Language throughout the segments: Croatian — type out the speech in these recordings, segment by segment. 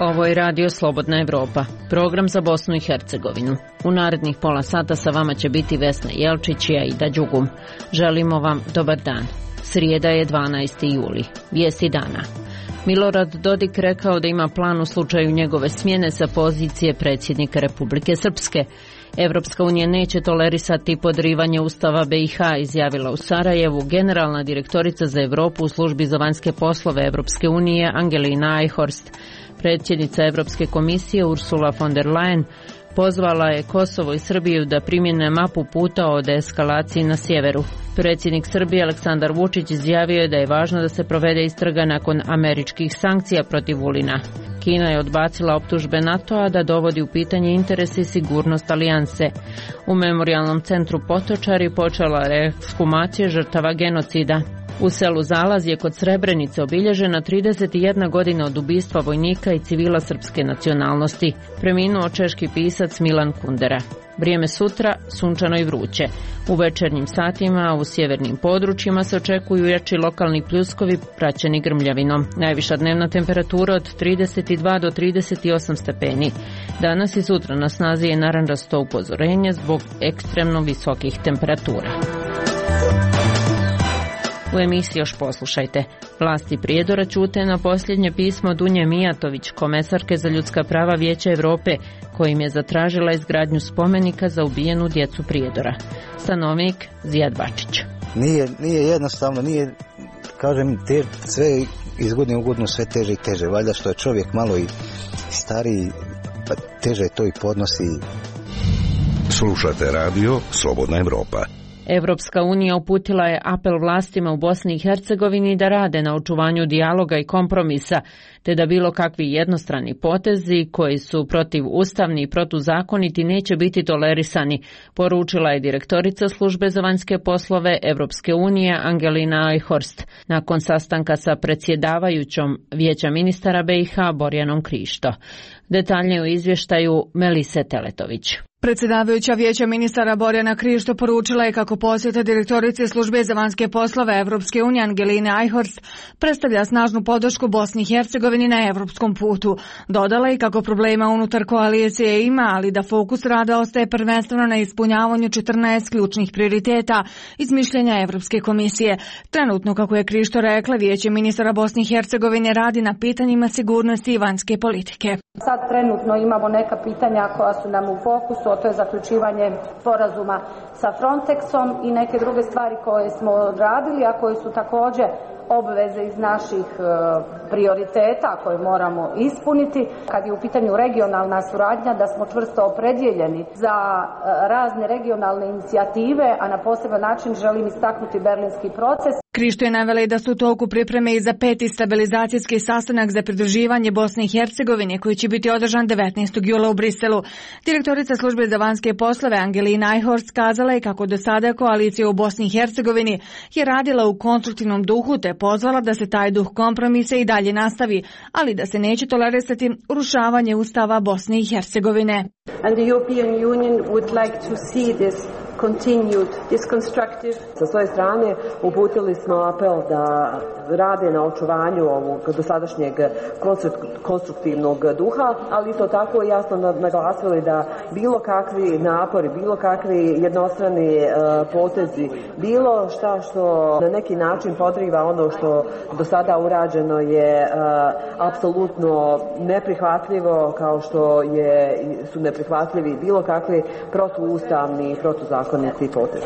Ovo je Radio Slobodna Evropa, program za Bosnu i Hercegovinu. U narednih pola sata sa vama će biti Vesna Jelčić i Aida Đugum. Želimo vam dobar dan. Srijeda je 12. juli. Vijesti dana. Milorad Dodik rekao da ima plan u slučaju njegove smjene sa pozicije predsjednika Republike Srpske. Evropska unija neće tolerisati podrivanje Ustava BiH, izjavila u Sarajevu generalna direktorica za Europu u službi za vanjske poslove Evropske unije Angelina Eichhorst. Predsjednica Europske komisije Ursula von der Leyen pozvala je Kosovo i Srbiju da primjene mapu puta o deeskalaciji na sjeveru. Predsjednik Srbije Aleksandar Vučić izjavio je da je važno da se provede istraga nakon američkih sankcija protiv Vulina. Kina je odbacila optužbe NATO-a da dovodi u pitanje interes i sigurnost alijanse. U memorijalnom centru Potočari počela reekshumacija žrtava genocida. U selu Zalaz je kod Srebrenice obilježena 31 godina od ubistva vojnika i civila srpske nacionalnosti. Preminuo češki pisac Milan Kundera. Vrijeme sutra sunčano i vruće. U večernjim satima u sjevernim područjima se očekuju jači lokalni pljuskovi praćeni grmljavinom. Najviša dnevna temperatura od 32 do 38 stepeni. Danas i sutra na snazi je narančasto upozorenje zbog ekstremno visokih temperatura. U emisiji još poslušajte. Vlasti Prijedora ćute na posljednje pismo Dunje Mijatović, komesarke za ljudska prava Vijeća Europe, kojim je zatražila izgradnju spomenika za ubijenu djecu Prijedora. Stanovnik Zijad Bačić. Nije jednostavno, kažem, sve iz godine u godinu sve teže i teže. Valjda što je čovjek malo i stariji, pa teže to i podnosi. Slušate radio Slobodna Evropa. Evropska unija uputila je apel vlastima u Bosni i Hercegovini da rade na očuvanju dijaloga i kompromisa, te da bilo kakvi jednostrani potezi koji su protivustavni i protuzakoniti neće biti tolerisani, poručila je direktorica službe za vanjske poslove Evropske unije Angelina Eichhorst nakon sastanka sa predsjedavajućom Vijeća ministara BiH Borjanom Krišto. Detaljnije u izvještaju Melise Teletović. Predsjedavajuća Vijeća ministara Borjana Krišto poručila je kako posjeta direktorice službe za vanjske poslove Evropske unije Angeline Eichhorst predstavlja snažnu podršku Bosni i Hercegovini na evropskom putu. Dodala je kako problema unutar koalicije ima, ali da fokus rada ostaje prvenstveno na ispunjavanju 14 ključnih prioriteta iz mišljenja Evropske komisije. Trenutno, kako je Krišto rekla, Vijeće ministara Bosne i Hercegovine radi na pitanjima sigurnosti i vanjske politike. Sad trenutno imamo neka pitanja koja su nam u fokusu, a to je zaključivanje sporazuma sa Frontexom i neke druge stvari koje smo radili, a koje su također obveze iz naših prioriteta koje moramo ispuniti. Kad je u pitanju regionalna suradnja, da smo čvrsto opredjeljeni za razne regionalne inicijative, a na poseban način želim istaknuti berlinski proces. Krišto je navela i da su u toku pripreme i za 5. stabilizacijski sastanak za pridruživanje Bosne i Hercegovine koji će biti održan 19. jula u Briselu. Direktorica službe za vanjske poslove Angelina Eichhorst kazala je kako do sada koalicija u Bosni i Hercegovini je radila u konstruktivnom duhu te pozvala da se taj duh kompromisa i dalje nastavi, ali da se neće tolerisati urušavanje Ustava Bosne i Hercegovine. And the European Union would like to see this continued, this constructive. Sa svoje strane uputili smo apel da rade na očuvanju ovog dosadašnjeg konstruktivnog duha, ali isto tako jasno naglasili da bilo kakvi napori, bilo kakvi jednostrani potezi, bilo šta što na neki način podriva ono što do sada urađeno je apsolutno neprihvatljivo, kao što su neprihvatljivi bilo kakvi protuustavni i protuzakoniti potezi.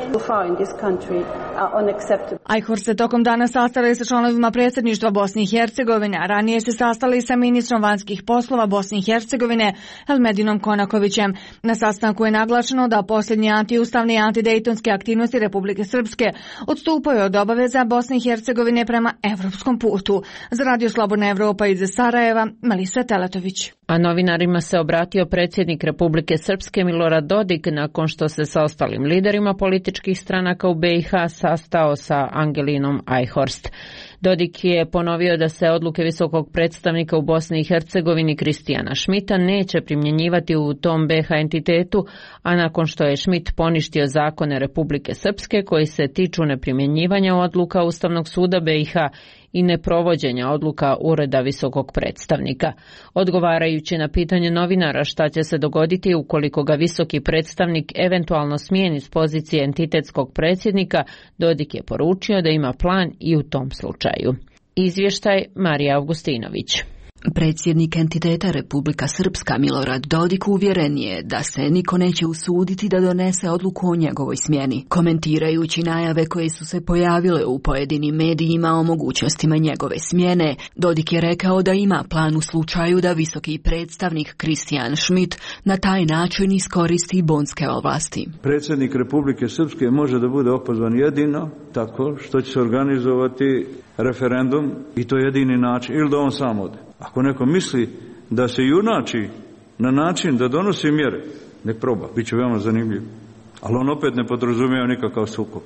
Eichhorst se tokom dana sastala i sa članovima predsjedništva Bosne i Hercegovine, a ranije se sastala i sa ministrom vanjskih poslova Bosne i Hercegovine Elmedinom Konakovićem. Na sastanku je naglašeno da posljednje antiustavne i antidejtonske aktivnosti Republike Srpske odstupaju od obaveza Bosne i Hercegovine prema evropskom putu. Za Radio Slobodna Evropa iz Sarajeva, Melisa Teletović. A novinarima se obratio predsjednik Republike Srpske Milorad Dodik nakon što se sa ostalim liderima političkih stranaka u BiH sastao sa Angelinom Eichhorst. Dodik je ponovio da se odluke visokog predstavnika u Bosni i Hercegovini Kristijana Šmita neće primjenjivati u tom BiH entitetu, a nakon što je Šmit poništio zakone Republike Srpske koji se tiču neprimjenjivanja odluka Ustavnog suda BiH i neprovođenja odluka Ureda visokog predstavnika. Odgovarajući na pitanje novinara šta će se dogoditi ukoliko ga visoki predstavnik eventualno smijeni s pozicije entitetskog predsjednika, Dodik je poručio da ima plan i u tom slučaju. Izvještaj Marija Augustinović. Predsjednik entiteta Republika Srpska Milorad Dodik uvjeren je da se niko neće usuditi da donese odluku o njegovoj smjeni. Komentirajući najave koje su se pojavile u pojedinim medijima o mogućnostima njegove smjene, Dodik je rekao da ima plan u slučaju da visoki predstavnik Kristijan Šmit na taj način iskoristi bonske ovlasti. Predsjednik Republike Srpske može da bude opozvan jedino tako što će se organizovati referendum i to je jedini način, ili da on sam ode. Ako neko misli da se junači na način da donosi mjere, nek proba, bit će veoma zanimljivo. Ali on opet ne podrazumijeva nikakav sukob.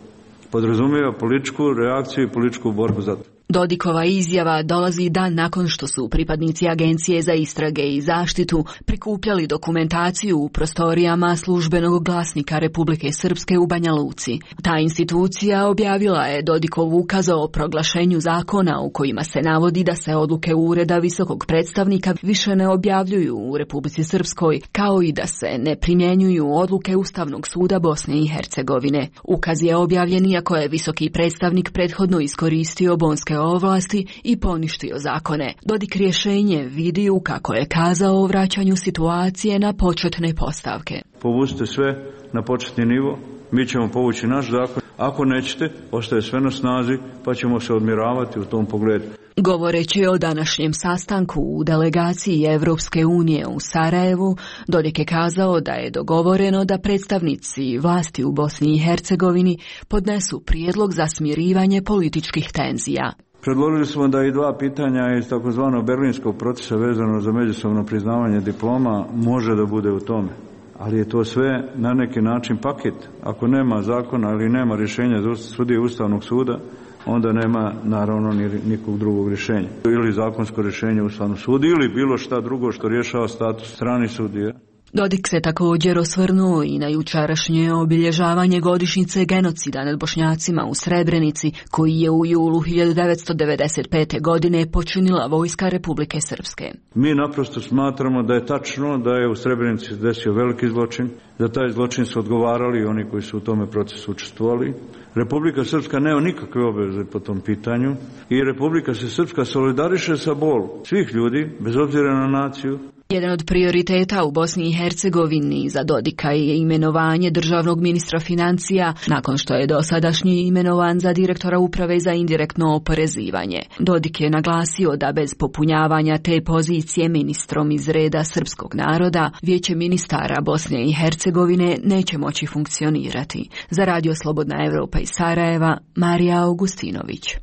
Podrazumijeva političku reakciju i političku borbu za to. Dodikova izjava dolazi dan nakon što su pripadnici Agencije za istrage i zaštitu prikupljali dokumentaciju u prostorijama službenog glasnika Republike Srpske u Banja Luci. Ta institucija objavila je Dodikov ukaz o proglašenju zakona u kojima se navodi da se odluke Ureda visokog predstavnika više ne objavljuju u Republici Srpskoj, kao i da se ne primjenjuju odluke Ustavnog suda Bosne i Hercegovine. Ukaz je objavljen iako je visoki predstavnik prethodno iskoristio bonske ovlasti i poništio zakone. Dodik rješenje vidi u, kako je kazao, o vraćanju situacije na početne postavke. Povucite sve na početni nivo, mi ćemo povući naš zakon. Ako nećete, ostaje sve na snazi, pa ćemo se odmiravati u tom pogledu. Govoreći o današnjem sastanku u delegaciji Evropske unije u Sarajevu, Dodik je kazao da je dogovoreno da predstavnici vlasti u Bosni i Hercegovini podnesu prijedlog za smirivanje političkih tenzija. Predložili smo da i dva pitanja iz takozvanog berlinskog procesa vezano za međusobno priznavanje diploma može da bude u tome. Ali je to sve na neki način paket. Ako nema zakona ili nema rješenja sudije Ustavnog suda, onda nema naravno nikog drugog rješenja. Ili zakonsko rješenje Ustavnog suda ili bilo šta drugo što rješava status strani sudije. Dodik se također osvrnuo i na jučerašnje obilježavanje godišnjice genocida nad Bošnjacima u Srebrenici, koji je u julu 1995. godine počinila vojska Republike Srpske. Mi naprosto smatramo da je tačno da je u Srebrenici desio veliki zločin, da taj zločin su odgovarali oni koji su u tome procesu učestvovali. Republika Srpska nema nikakve obveze po tom pitanju i Republika se Srpska solidariše sa bolom svih ljudi, bez obzira na naciju. Jedan od prioriteta u Bosni i Hercegovini za Dodika je imenovanje državnog ministra financija, nakon što je dosadašnji imenovan za direktora uprave za indirektno oporezivanje. Dodik je naglasio da bez popunjavanja te pozicije ministrom iz reda srpskog naroda, Vijeće ministara Bosne i Hercegovine neće moći funkcionirati. Za Radio Slobodna Evropa iz Sarajeva, Marija Augustinović.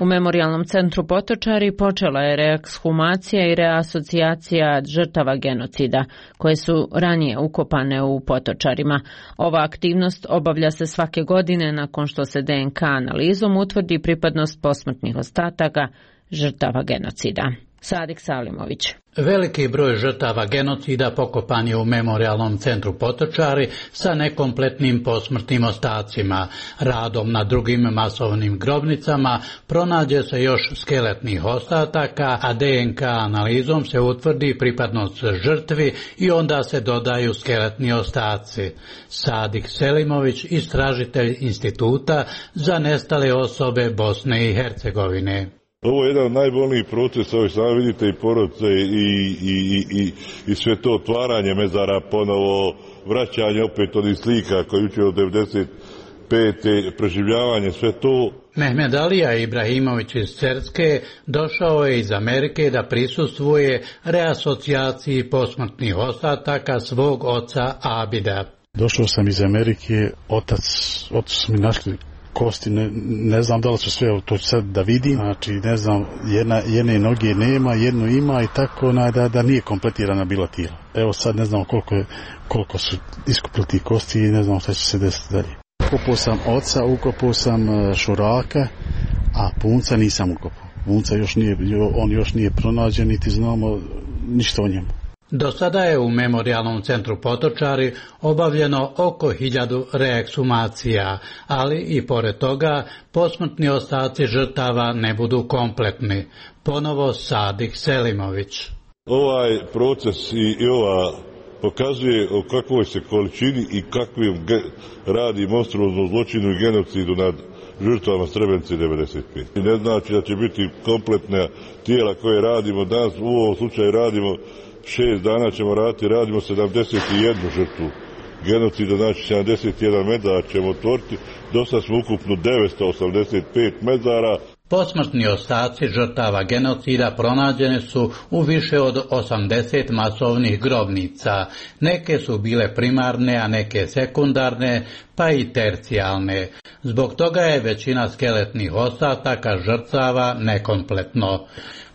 U Memorijalnom centru Potočari počela je reekshumacija i reasocijacija žrtava genocida, koje su ranije ukopane u Potočarima. Ova aktivnost obavlja se svake godine nakon što se DNK analizom utvrdi pripadnost posmrtnih ostataka žrtava genocida. Sadik Salimović. Veliki broj žrtava genocida pokopan je u Memorijalnom centru Potočari sa nekompletnim posmrtnim ostacima. Radom na drugim masovnim grobnicama pronađe se još skeletnih ostataka, a DNK analizom se utvrdi pripadnost žrtvi i onda se dodaju skeletni ostaci. Sadik Selimović, istražitelj Instituta za nestale osobe Bosne i Hercegovine. Ovo je jedan od najbolnijih procesa, ovo sami vidite i porodice i sve to otvaranje mezara, ponovo vraćanje opet onih slika koji uče od 95. preživljavanje, sve to. Mehmed Alija Ibrahimović iz Cerske došao je iz Amerike da prisustvuje reasocijaciji posmrtnih ostataka svog oca Abida. Došao sam iz Amerike, otac su mi našli kosti, ne znam da li su sve, to ću sad da vidim, znači ne znam, jedne noge nema, jednu ima i tako da nije kompletirana bila tijela. Evo sad ne znam koliko su iskupili ti kosti i ne znam šta će se desiti dalje. Ukopao sam oca, ukopao sam Šuraka A punca nisam ukopao. Punca on još nije pronađen, niti znamo ništa o njemu. Do sada je u Memorijalnom centru Potočari obavljeno oko 1000 reeksumacija, ali i pored toga posmrtni ostaci žrtava ne budu kompletni. Ponovo Sadik Selimović. Ovaj proces i ova pokazuje o kakvoj se količini i kakvim radi monstruoznom zločinu i genocidu nad žrtvama Srebrenice 95. Ne znači da će biti kompletna tijela koje radimo danas, u ovom slučaju radimo 6 dana ćemo radimo 71 žrtvu genocida, znači 71 mezara ćemo otvoriti, dosta smo ukupno 985 mezara. Posmrtni ostaci žrtava genocida pronađene su u više od 80 masovnih grobnica. Neke su bile primarne, a neke sekundarne, pa i tercijalne. Zbog toga je većina skeletnih ostataka žrtava nekompletno.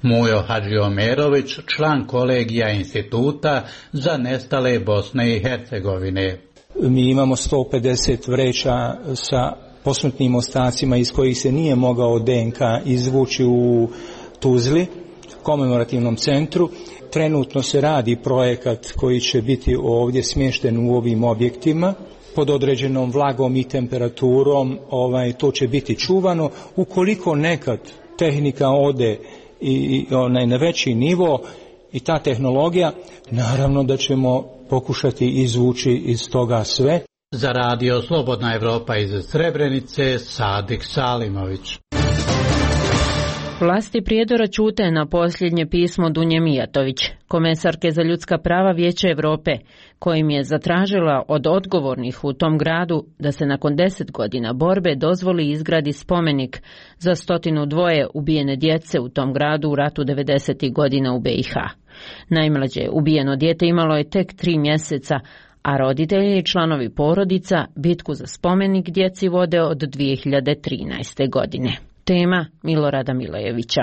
Mujo Hadžiomerović, član kolegija Instituta za nestale Bosne i Hercegovine. Mi imamo 150 vreća sa posmrtnim ostacima iz kojih se nije mogao DNK izvući u Tuzli, komemorativnom centru. Trenutno se radi projekat koji će biti ovdje smješten u ovim objektima. Pod određenom vlagom i temperaturom to će biti čuvano. Ukoliko nekad tehnika ode i na veći nivo i ta tehnologija, naravno da ćemo pokušati izvući iz toga sve. Za radio Slobodna Evropa iz Srebrenice, Sadik Salimović. Vlasti Prijedora ćute na posljednje pismo Dunje Mijatović, komesarke za ljudska prava Vijeća Europe, kojim je zatražila od odgovornih u tom gradu da se nakon 10 godina borbe dozvoli izgradi spomenik za 102 ubijene djece u tom gradu u ratu 90. godina u BiH. Najmlađe ubijeno dijete imalo je tek 3 mjeseca, a roditelji i članovi porodica bitku za spomenik djeci vode od 2013. godine. Tema Milorada Milojevića.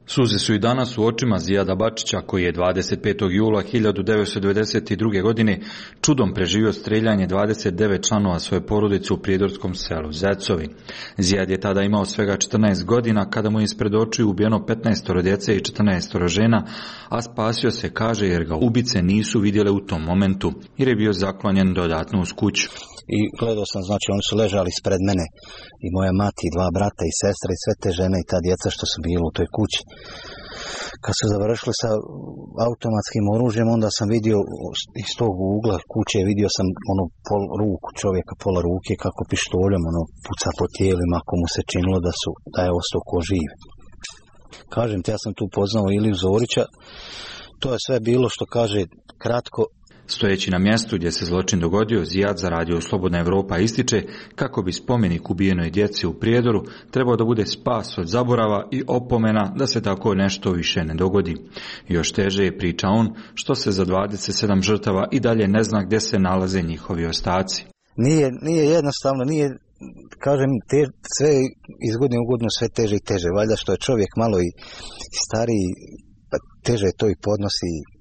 Suze su i danas u očima Zijada Bačića, koji je 25. jula 1992. godine čudom preživio streljanje 29 članova svoje porodice u prijedorskom selu Zecovi. Zijad je tada imao svega 14 godina kada mu je ispred očiju ubijeno 15 djece i 14 žena, a spasio se, kaže, jer ga ubice nisu vidjele u tom momentu, jer je bio zaklonjen dodatno uz kuću. I gledao sam, znači oni su ležali ispred mene i moja mati, 2 brata i sestre i sve te žene i ta djeca što su bili u toj kući. Kad su završili sa automatskim oružjem, onda sam vidio iz tog ugla kuće, vidio sam ruku čovjeka, pola ruke, kako pištoljem puca po tijelima, ako mu se činilo da je ostao ko živ. Kažem ti, ja sam tu poznao Iliju Zorića, to je sve bilo što kaže kratko. Stojeći na mjestu gdje se zločin dogodio, Zijad za radio Slobodna Evropa ističe kako bi spomenik ubijenoj djeci u Prijedoru trebao da bude spas od zaborava i opomena da se tako nešto više ne dogodi. Još teže je, priča on, što se za 27 žrtava i dalje ne zna gdje se nalaze njihovi ostaci. Nije jednostavno, kažem, sve iz godine u godinu sve teže i teže. Valjda što je čovjek malo i stariji, pa teže to i podnosi.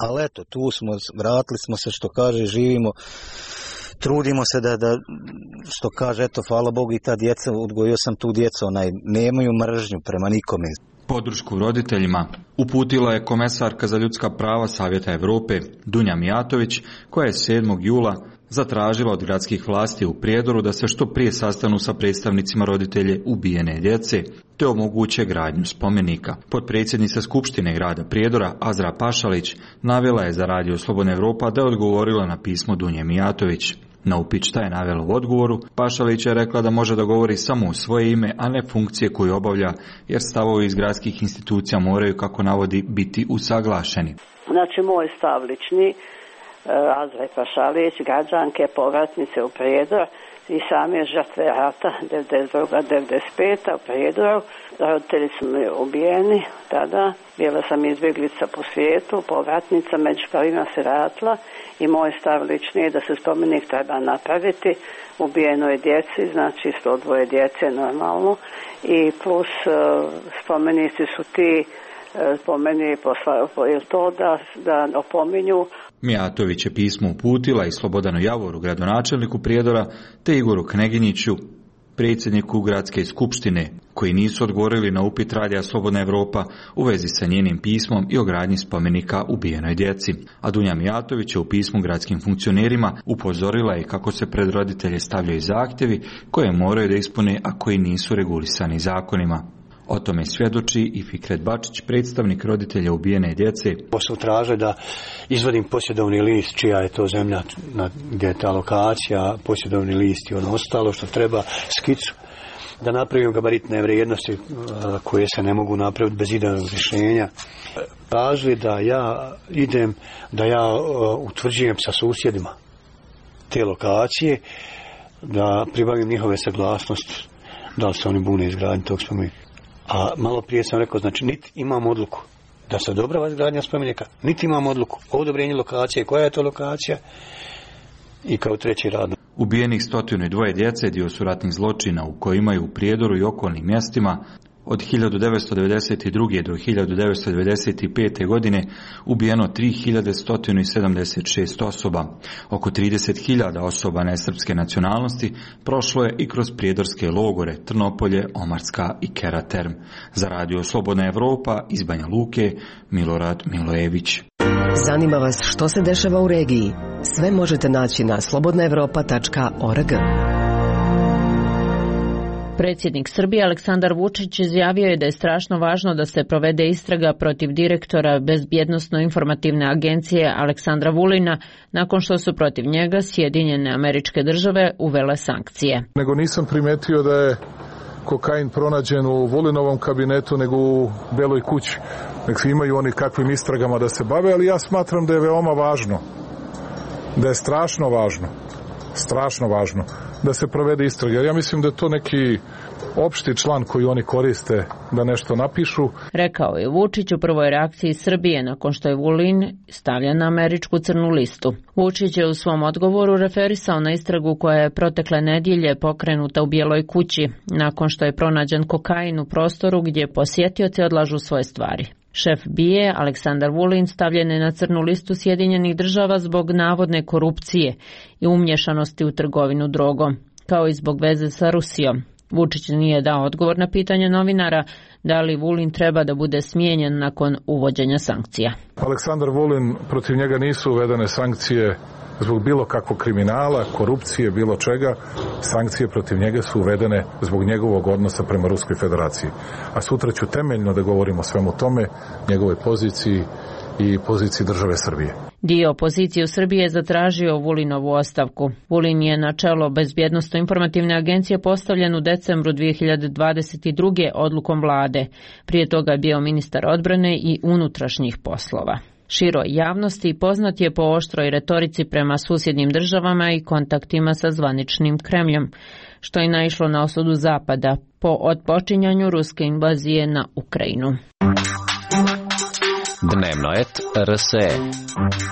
Ali eto, tu smo, vratili smo se, što kaže, živimo, trudimo se da što kaže, eto, hvala Bogu i ta djeca, odgojio sam tu djecu, nemaju mržnju prema nikome. Podršku roditeljima uputila je komesarka za ljudska prava Savjeta Europe Dunja Mijatović, koja je 7. jula zatražila od gradskih vlasti u Prijedoru da se što prije sastanu sa predstavnicima roditelje ubijene djece, te omoguće gradnju spomenika. Potpredsjednica Skupštine grada Prijedora Azra Pašalić navela je za radio Slobodna Evropa da je odgovorila na pismo Dunje Mijatović. Na upit šta je navela u odgovoru, Pašalić je rekla da može da govori samo u svoje ime, a ne funkcije koju obavlja, jer stavovi iz gradskih institucija moraju, kako navodi, biti usaglašeni. Znači, moj stav lični, Azra Pašalić, građanke, povratnice u Prijedor i same žrtve rata 92-95 u Prijedoru. Roditelji su mi ubijeni tada, bila sam izbjeglica po svijetu, povratnica, među prvima se ratila i moj stav lični je da se spomenik treba napraviti ubijenoj djeci, znači 102 djece normalno, i plus spomenici su ti po meni je to da opominju. Mijatović je pismo uputila i Slobodanu Javoru, gradonačelniku Prijedora, te Igoru Kneginjiću, predsjedniku Gradske skupštine, koji nisu odgovorili na upit Radija Slobodna Evropa u vezi sa njenim pismom i o gradnji spomenika ubijenoj djeci. A Dunja Mijatović je u pismu gradskim funkcionerima upozorila je kako se pred roditelje stavljaju zahtjevi koje moraju da ispune, a koji nisu regulisani zakonima. O tome svjedoči i Fikret Bačić, predstavnik roditelja ubijene djece. Posao traže da izvadim posjedovni list, čija je to zemlja, gdje je ta lokacija, posjedovni list i ono ostalo što treba, skicu, da napravim gabaritne vrijednosti koje se ne mogu napraviti bez idejnog rješenja. Tražili da ja idem, da ja utvrđujem sa susjedima te lokacije, da pribavim njihove saglasnosti, da li se oni bune izgradnji tog spomenika. A malo prije sam rekao, znači niti imamo odluku da se odobrava izgradnja spomenika, niti imamo odluku o odobrenju lokacije, koja je to lokacija i kao treći rad. Ubijenih 102 djece dio su ratnih zločina u kojima je u Prijedoru i okolnim mjestima od 1992. do 1995. godine ubijeno 3176 osoba. Oko 30.000 osoba nesrpske nacionalnosti prošlo je i kroz prijedorske logore Trnopolje, Omarska i Keraterm. Za Radio Slobodna Evropa iz Banja Luke, Milorad Milojević. Zanima vas što se dešava u regiji? Sve možete naći na slobodnaevropa.org. Predsjednik Srbije Aleksandar Vučić izjavio je da je strašno važno da se provede istraga protiv direktora Bezbjednosno-informativne agencije Aleksandra Vulina nakon što su protiv njega Sjedinjene Američke Države uvele sankcije. Nego nisam primetio da je kokain pronađen u Vulinovom kabinetu nego u Beloj kući. Nek imaju oni kakvim istragama da se bave, ali ja smatram da je veoma važno, da je strašno važno da se provede istraga. Ja mislim da je to neki opšti član koji oni koriste da nešto napišu. Rekao je Vučić u prvoj reakciji Srbije nakon što je Vulin stavljen na američku crnu listu. Vučić je u svom odgovoru referisao na istragu koja je protekle nedjelje pokrenuta u Bijeloj kući nakon što je pronađen kokain u prostoru gdje posjetioci odlažu svoje stvari. Šef BIA Aleksandar Vulin stavljen je na crnu listu Sjedinjenih Država zbog navodne korupcije i umješanosti u trgovinu drogom, kao i zbog veze sa Rusijom. Vučić nije dao odgovor na pitanje novinara da li Vulin treba da bude smijenjen nakon uvođenja sankcija. Aleksandar Vulin, protiv njega nisu uvedene sankcije zbog bilo kakvog kriminala, korupcije, bilo čega. Sankcije protiv njega su uvedene zbog njegovog odnosa prema Ruskoj federaciji. A sutra ću temeljno da govorimo o svemu tome, njegovoj poziciji i poziciji države Srbije. Dio opozicije u Srbiji je zatražio Vulinovu ostavku. Vulin je na čelo Bezbjednosno-informativne agencije postavljen u decembru 2022. odlukom vlade. Prije toga je bio ministar odbrane i unutrašnjih poslova. Široj javnosti poznat je po oštroj retorici prema susjednim državama i kontaktima sa zvaničnim Kremljom, što je naišlo na osudu Zapada po otpočinjanju ruske invazije na Ukrajinu. Dnevnoet RSE.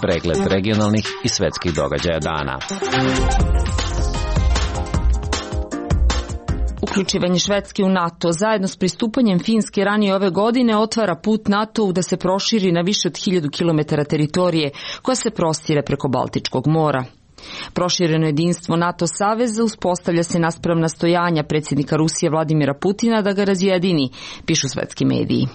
Pregled regionalnih i svetskih događaja dana. Uključivanje Švedske u NATO zajedno s pristupanjem Finske ranije ove godine otvara put NATO-u da se proširi na više od 1000 km teritorije koja se prostire preko Baltičkog mora. Prošireno jedinstvo NATO saveza uspostavlja se naspram nastojanja predsjednika Rusije Vladimira Putina da ga razjedini, pišu svetski mediji.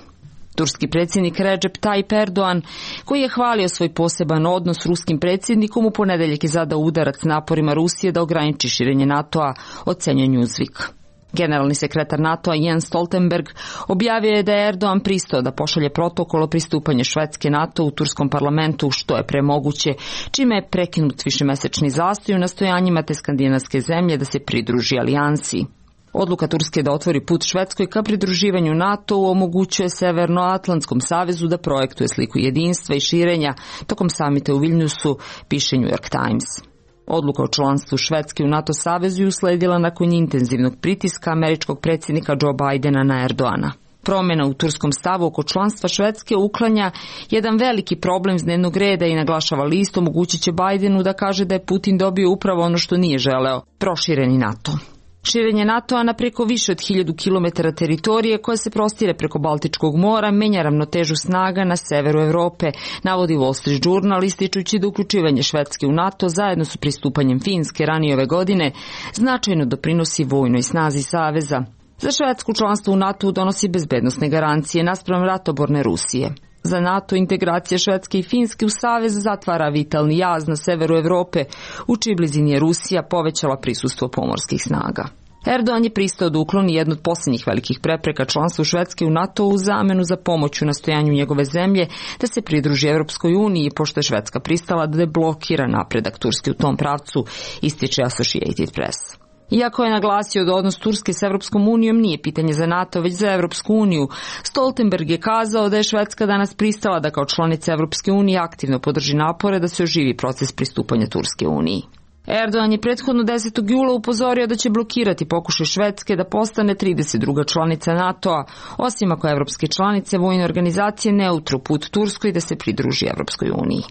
Turski predsjednik Recep Tayyip Erdogan, koji je hvalio svoj poseban odnos s ruskim predsjednikom, u ponedeljak je zadao udarac naporima Rusije da ograniči širenje NATO-a, ocenjuje Newsweek. Generalni sekretar NATO-a Jens Stoltenberg objavio je da je Erdogan pristao da pošalje protokol o pristupanju Švedske NATO u turskom parlamentu što je premoguće, čime je prekinut višemesečni zastoj u nastojanjima te skandinavske zemlje da se pridruži alijansi. Odluka Turske da otvori put Švedskoj ka pridruživanju NATO-u omogućuje Severnoatlantskom savezu da projektuje sliku jedinstva i širenja tokom samita u Vilniusu, piše New York Times. Odluka o članstvu Švedske u NATO savezu je usledila nakon intenzivnog pritiska američkog predsjednika Joe Bidena na Erdogana. Promjena u turskom stavu oko članstva Švedske uklanja jedan veliki problem s dnevnog reda i naglašava list omogućit će Bidenu da kaže da je Putin dobio upravo ono što nije želeo, prošireni NATO. Širenje NATO-a na preko više od 1000 km teritorije koja se prostire preko Baltičkog mora menja ravnotežu snaga na severu Evrope, navodi Wall Street Journal ističući da uključivanje Švedske u NATO zajedno sa pristupanjem Finske ranije ove godine značajno doprinosi vojnoj snazi saveza. Za Švedsku članstvo u NATO donosi bezbednosne garancije naspram ratoborne Rusije. Za NATO integracija Švedske i Finske u savez zatvara vitalni jaz na severu Evrope, u čiji blizini je Rusija povećala prisustvo pomorskih snaga. Erdogan je pristao da ukloni jednu od posljednjih velikih prepreka članstvu Švedske u NATO u zamenu za pomoć u nastojanju njegove zemlje da se pridruži Evropskoj uniji, pošto je Švedska pristala da deblokira napredak Turske u tom pravcu, ističe Associated Press. Iako je naglasio da odnos Turske s Evropskom unijom nije pitanje za NATO, već za Evropsku uniju, Stoltenberg je kazao da je Švedska danas pristala da kao članica Evropske unije aktivno podrži napore da se oživi proces pristupanja Turske uniji. Erdogan je prethodno 10. jula upozorio da će blokirati pokušaj Švedske da postane 32. članica NATO-a, osim ako evropske članice vojne organizacije ne utru put Turskoj da se pridruži Evropskoj uniji.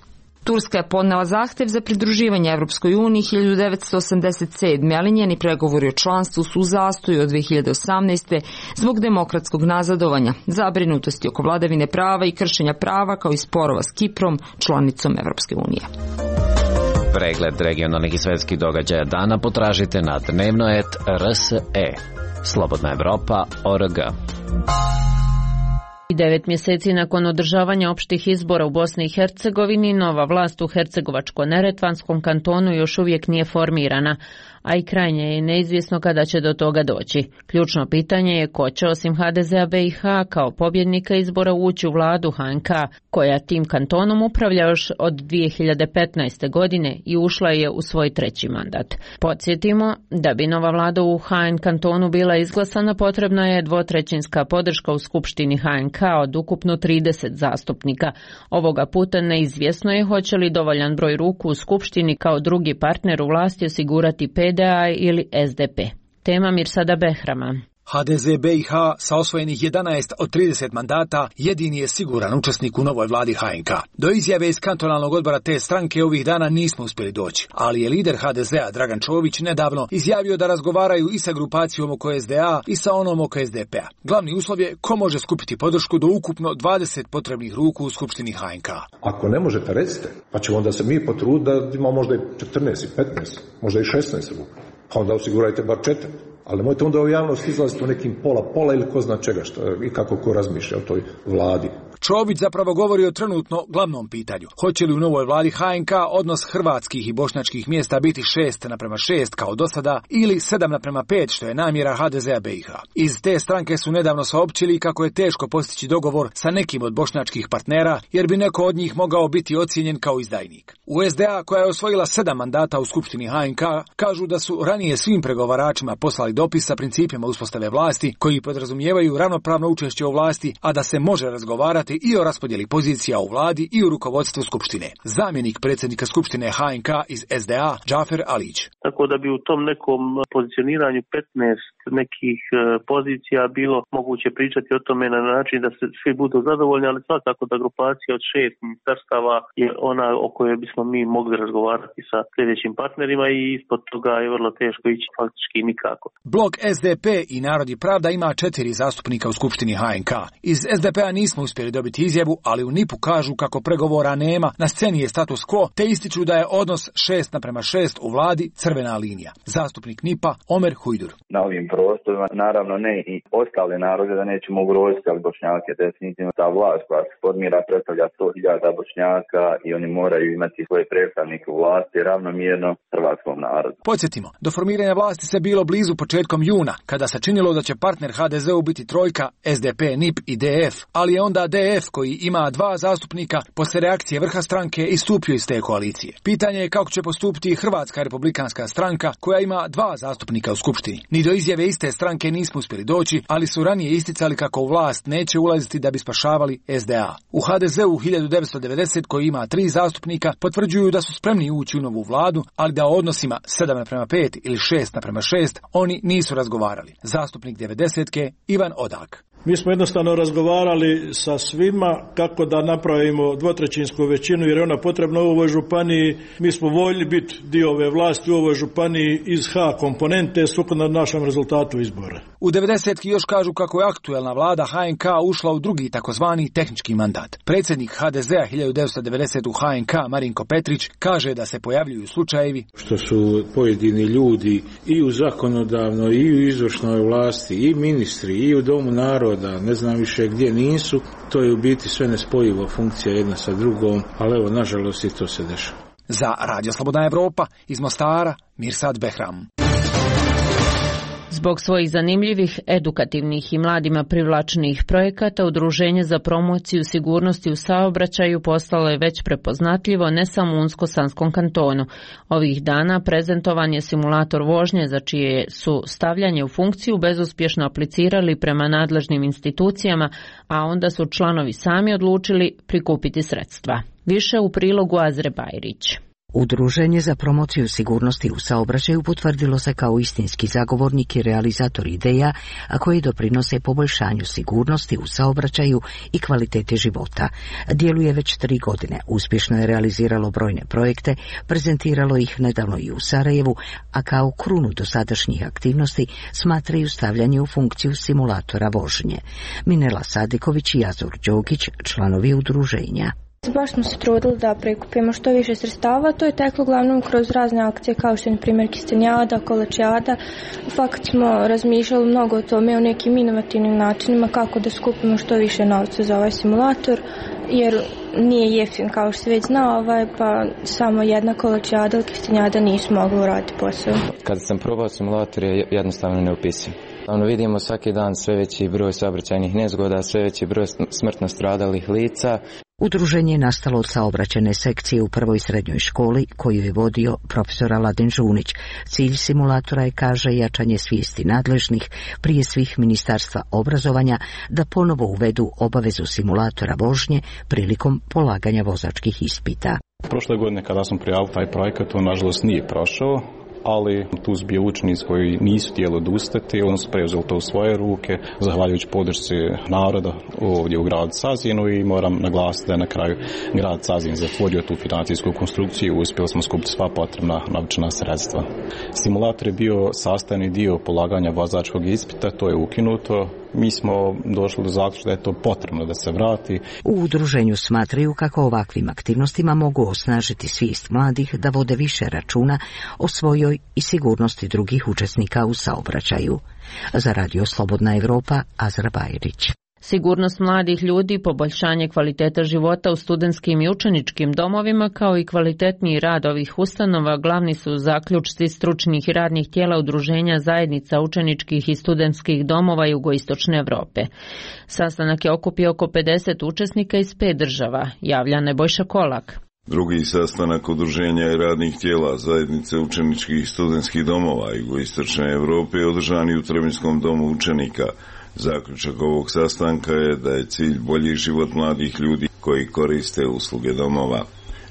Turska je podnela zahtev za pridruživanje Evropskoj uniji 1987. ali njeni pregovori o članstvu su u zastoju od 2018. zbog demokratskog nazadovanja, zabrinutosti oko vladavine prava i kršenja prava kao i sporova s Kiprom, članicom Evropske unije. Pregled regionalnih i svetskih događaja dana potražite na dnevno.rs.e. Slobodna Evropa.org. 9 mjeseci nakon održavanja opštih izbora u Bosni i Hercegovini, nova vlast u Hercegovačko-Neretvanskom kantonu još uvijek nije formirana, a i krajnje je neizvjesno kada će do toga doći. Ključno pitanje je ko će osim HDZ-a BiH kao pobjednika izbora ući u vladu HNK, koja tim kantonom upravlja još od 2015. godine i ušla je u svoj 3. mandat. Podsjetimo, da bi nova vlada u HN kantonu bila izglasana, potrebna je 2/3 podrška u Skupštini HNK od ukupno 30 zastupnika. Ovoga puta neizvjesno je hoće li dovoljan broj ruku u Skupštini kao drugi partner u vlasti osigurati PDA ili SDP. Tema Mirsada Behrama. HDZ BiH sa osvojenih 11 od 30 mandata jedini je siguran učesnik u novoj vladi HNK. Do izjave iz kantonalnog odbora te stranke ovih dana nismo uspjeli doći, ali je lider HDZ-a Dragan Čović nedavno izjavio da razgovaraju i sa grupacijom oko SDA i sa onom oko SDP-a. Glavni uslov je ko može skupiti podršku do ukupno 20 potrebnih ruku u Skupštini HNK. Ako ne možete, recite, pa ćemo onda se mi potruditi da imamo možda i 14 i 15, možda i 16 ruku. Pa onda osigurajte bar 4. Ali nemojte onda u javnost izlaziti u nekim pola ili ko zna čega i kako ko razmišlja o toj vladi. Čović zapravo govori o trenutno glavnom pitanju. Hoće li u novoj vladi HNK odnos hrvatskih i bošnjačkih mjesta biti 6:6 kao do sada ili 7:5 što je namjera HDZ-a BiH. Iz te stranke su nedavno saopćili kako je teško postići dogovor sa nekim od bošnjačkih partnera jer bi neko od njih mogao biti ocijenjen kao izdajnik. U SDA koja je osvojila 7 mandata u Skupštini HNK kažu da su ranije svim pregovaračima poslali dopis sa principima uspostave vlasti koji podrazumijevaju ravnopravno učešće u vlasti, a da se može razgovarati i o raspodjeli pozicija u vladi i u rukovodstvu Skupštine. Zamjenik predsjednika Skupštine HNK iz SDA, Džafer Alić. Tako da bi u tom nekom pozicioniranju 15 nekih pozicija bilo moguće pričati o tome na način da se svi budu zadovoljni, ali svakako da grupacija od 6 ministarstava je ona o kojoj bismo mi mogli razgovarati sa sljedećim partnerima i ispod toga je vrlo teško ići faktički nikako. Blok SDP i Narod i Pravda ima 4 zastupnika u Skupštini HNK. Iz SDP-a nismo uspjeli dobiti izjavu, ali u NIP-u kažu kako pregovora nema, na sceni je status quo, te ističu da je odnos 6:6 u vladi crvena linija. Zastupnik NIP-a Omer Hujdur. Na ovim prostorima, naravno ne i ostale narode da nećemo ugroziti, ali Bošnjake definitivno ta vlast koja se formira predstavlja 100.000 Bošnjaka i oni moraju imati svoje predstavnike u vlasti ravnomjerno hrvatskom narodu. Podsjetimo, do formiranja vlasti se bilo blizu početkom juna, kada se činilo da će partner HDZ-u biti trojka SDP, NIP i DF, ali je onda DF koji ima 2 zastupnika poslije reakcije vrha stranke istupio iz te koalicije. Pitanje je kako će postupiti Hrvatska republikanska stranka koja ima 2 zastupnika u Skupštini. Ni do izjave iste stranke nismo uspjeli doći, ali su ranije isticali kako u vlast neće ulaziti da bi spašavali SDA. U HDZ-u 1990 koji ima 3 zastupnika potvrđuju da su spremni ući u novu vladu, ali da o odnosima 7:5 ili 6:6 oni nisu razgovarali. Zastupnik 90-ke Ivan Odak. Mi smo jednostavno razgovarali sa svima kako da napravimo dvotrećinsku većinu jer je ona potrebna u ovoj županiji. Mi smo voljni biti dio ove vlasti u ovoj županiji iz H komponente sukladno našem rezultatu izbora. U 90-ki još kažu kako je aktuelna vlada HNK ušla u drugi takozvani tehnički mandat. Predsjednik HDZ-a 1990 u HNK Marinko Petrić kaže da se pojavljuju slučajevi što su pojedini ljudi i u zakonodavnoj i u izvršnoj vlasti i ministri i u Domu naroda, ne znam više gdje nisu, to je u biti sve nespojivo funkcija jedna sa drugom, ali evo nažalost i to se dešava. Za Radio Slobodna Evropa iz Mostara, Mirsad Behram. Zbog svojih zanimljivih, edukativnih i mladima privlačenih projekata, Udruženje za promociju sigurnosti u saobraćaju postalo je već prepoznatljivo ne samo u Unsko-Sanskom kantonu. Ovih dana prezentovan je simulator vožnje za čije su stavljanje u funkciju bezuspješno aplicirali prema nadležnim institucijama, a onda su članovi sami odlučili prikupiti sredstva. Više u prilogu Azre Bajrić. Udruženje za promociju sigurnosti u saobraćaju potvrdilo se kao istinski zagovornik i realizator ideja, a koji doprinose poboljšanju sigurnosti u saobraćaju i kvalitete života. Djeluje već 3 godine, uspješno je realiziralo brojne projekte, prezentiralo ih nedavno i u Sarajevu, a kao krunu dosadašnjih aktivnosti smatraju stavljanje u funkciju simulatora vožnje. Minela Sadiković i Azor Đogić, članovi udruženja. Baš smo se trudili da prikupimo što više sredstava, to je teklo uglavnom kroz razne akcije kao što je na primjer Kistenjada, Kolačijada. U fakt smo razmišljali mnogo o tome, o nekim inovativnim načinima kako da skupimo što više novca za ovaj simulator, jer nije jeftin kao što se već zna, pa samo jedna Kolačijada ili Kistenjada nisu mogli uraditi posao. Kada sam probao simulator je jednostavno neopisiv. Vidimo svaki dan sve veći broj saobraćajnih nezgoda, sve veći broj smrtno stradalih lica. Udruženje je nastalo od saobraćajne sekcije u prvoj srednjoj školi koju je vodio profesor Aladin Žunić. Cilj simulatora je, kaže, jačanje svijesti nadležnih, prije svih Ministarstva obrazovanja, da ponovo uvedu obavezu simulatora vožnje prilikom polaganja vozačkih ispita. Prošle godine kada sam prijavio taj projekat, on nažalost nije prošao, ali tu su bili učenici koji nisu htjeli odustati, oni su preuzeli to u svoje ruke, zahvaljujući podršci naroda ovdje u gradu Sazinu, i moram naglasiti da je na kraju grad Sazin zatvorio tu financijsku konstrukciju i uspjeli smo skupiti sva potrebna novčana sredstva. Simulator je bio sastavni dio polaganja vozačkog ispita, to je ukinuto. Mi smo došli do zaključka da je to potrebno da se vrati. U udruženju smatraju kako ovakvim aktivnostima mogu osnažiti svijest mladih da vode više računa o svojoj i sigurnosti drugih učesnika u saobraćaju. Za Radio Slobodna Evropa, Azra Bajrić. Sigurnost mladih ljudi, poboljšanje kvaliteta života u studentskim i učeničkim domovima, kao i kvalitetniji rad ovih ustanova, glavni su zaključci stručnih i radnih tijela Udruženja zajednica učeničkih i studentskih domova Jugoistočne Evrope. Sastanak je okupio oko 50 učesnika iz 5 država, javlja Nebojša Kolak. Drugi sastanak Udruženja i radnih tijela zajednice učeničkih i studentskih domova Jugoistočne Evrope je održan u Trebinjskom domu učenika. Zaključak ovog sastanka je da je cilj bolji život mladih ljudi koji koriste usluge domova.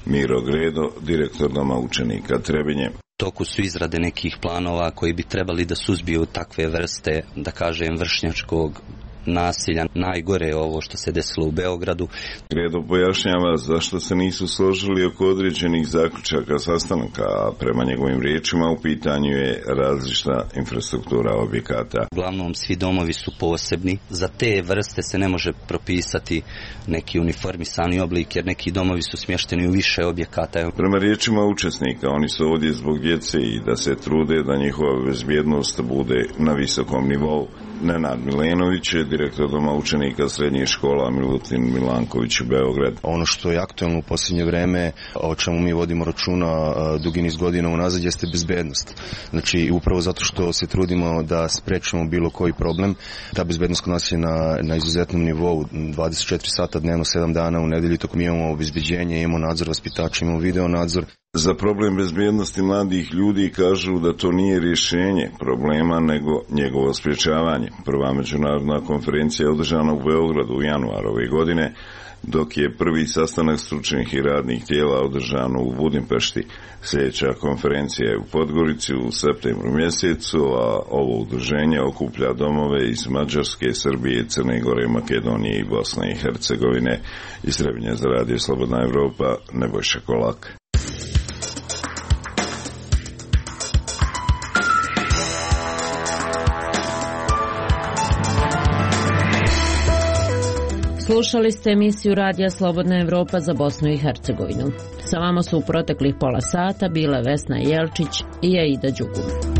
Miro Gredo, direktor doma učenika Trebinje. Toku su izrade nekih planova koji bi trebali da suzbiju takve vrste, da kažem, vršnjačkog nasilja. Najgore je ovo što se desilo u Beogradu. Gredo pojašnjava zašto se nisu složili oko određenih zaključaka sastanaka, a prema njegovim riječima u pitanju je različita infrastruktura objekata. Uglavnom svi domovi su posebni. Za te vrste se ne može propisati neki uniformisani oblik, jer neki domovi su smješteni u više objekata. Prema riječima učesnika, oni su ovdje zbog djece i da se trude da njihova bezbjednost bude na visokom nivou. Nenad Milenović je direktor doma učenika srednjih škola Milutin Milanković u Beograd. Ono što je aktualno u posljednje vrijeme, o čemu mi vodimo računa dugi niz godina unazad, jeste bezbednost. Znači, upravo zato što se trudimo da sprečimo bilo koji problem, ta bezbednost kod nas je na izuzetnom nivou, 24 sata dnevno, 7 dana u nedelju, tokom imamo obezbeđenje, imamo nadzor vaspitača, imamo video nadzor. Za problem bezbjednosti mladih ljudi kažu da to nije rješenje problema, nego njegovo sprječavanje. Prva međunarodna konferencija je održana u Beogradu u januaru ove godine. dok je prvi sastanak stručnih i radnih tijela održan u Budimpešti. Sljedeća konferencija je u Podgorici u septembru mjesecu, a ovo udruženje okuplja domove iz Mađarske, Srbije, Crne Gore, Makedonije i Bosne i Hercegovine. Iz Trebinja za radio Slobodna Evropa, Nebojša Kolak. Slušali ste emisiju Radija Slobodna Evropa za Bosnu i Hercegovinu. Sa vama su u proteklih pola sata bile Vesna Jelčić i Aida Đugum.